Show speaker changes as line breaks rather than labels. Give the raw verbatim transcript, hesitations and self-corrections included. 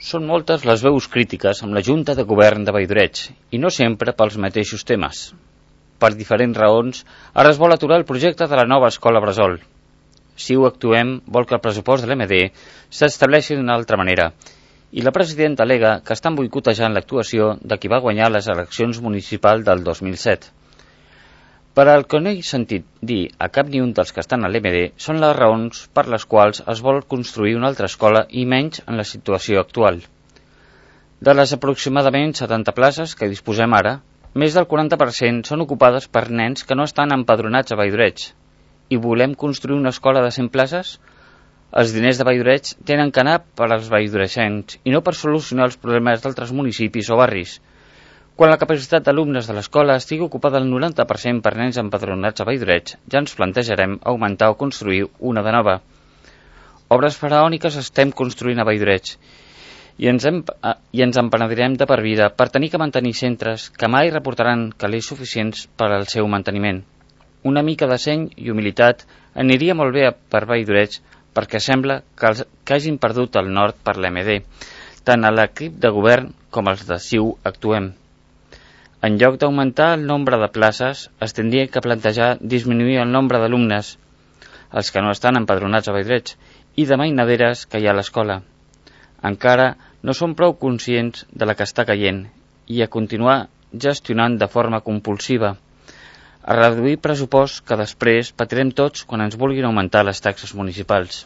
Són moltes les veus crítiques amb la Junta de Govern de Valldoreix, i no sempre pels mateixos temes. Per diferents raons, ara es vol aturar el projecte de la nova escola bressol. Si ho actuem, vol que el pressupost de l'M D s'estableixi d'una altra manera, i la presidenta al·lega que estan boicotejant l'actuació de qui va guanyar les eleccions municipals del dos mil set. Per al que no he sentit dir a cap ni un dels que estan a l'M D són les raons per les quals es vol construir una altra escola i menys en la situació actual. De les aproximadament setanta places que disposem ara, més del quaranta per cent són ocupades per nens que no estan empadronats a Valldoreix. I volem construir una escola de cent places? Els diners de Valldoreix tenen que anar per als valldoreixencs i no per solucionar els problemes d'altres municipis o barris. Quan la capacitat d'alumnes de l'escola estigui ocupada al noranta per cent per nens empadronats a Valldoreix, ja ens plantejarem augmentar o construir una de nova. Obres faraòniques estem construint a Valldoreix i ens, hem, i ens empenedirem de per vida per tenir que mantenir centres que mai reportaran calés suficients per al seu manteniment. Una mica de seny i humilitat aniria molt bé per Valldoreix perquè sembla que, els, que hagin perdut el nord per l'M D, tant a l'equip de govern com els de C I U actuem. En lloc d'augmentar el nombre de places, es tindria que plantejar disminuir el nombre d'alumnes, els que no estan empadronats a Valldoreix, i de mainaderes que hi ha a l'escola. Encara no som prou conscients de la que està caient i a continuar gestionant de forma compulsiva, a reduir pressupost que després patirem tots quan ens vulguin augmentar les taxes municipals.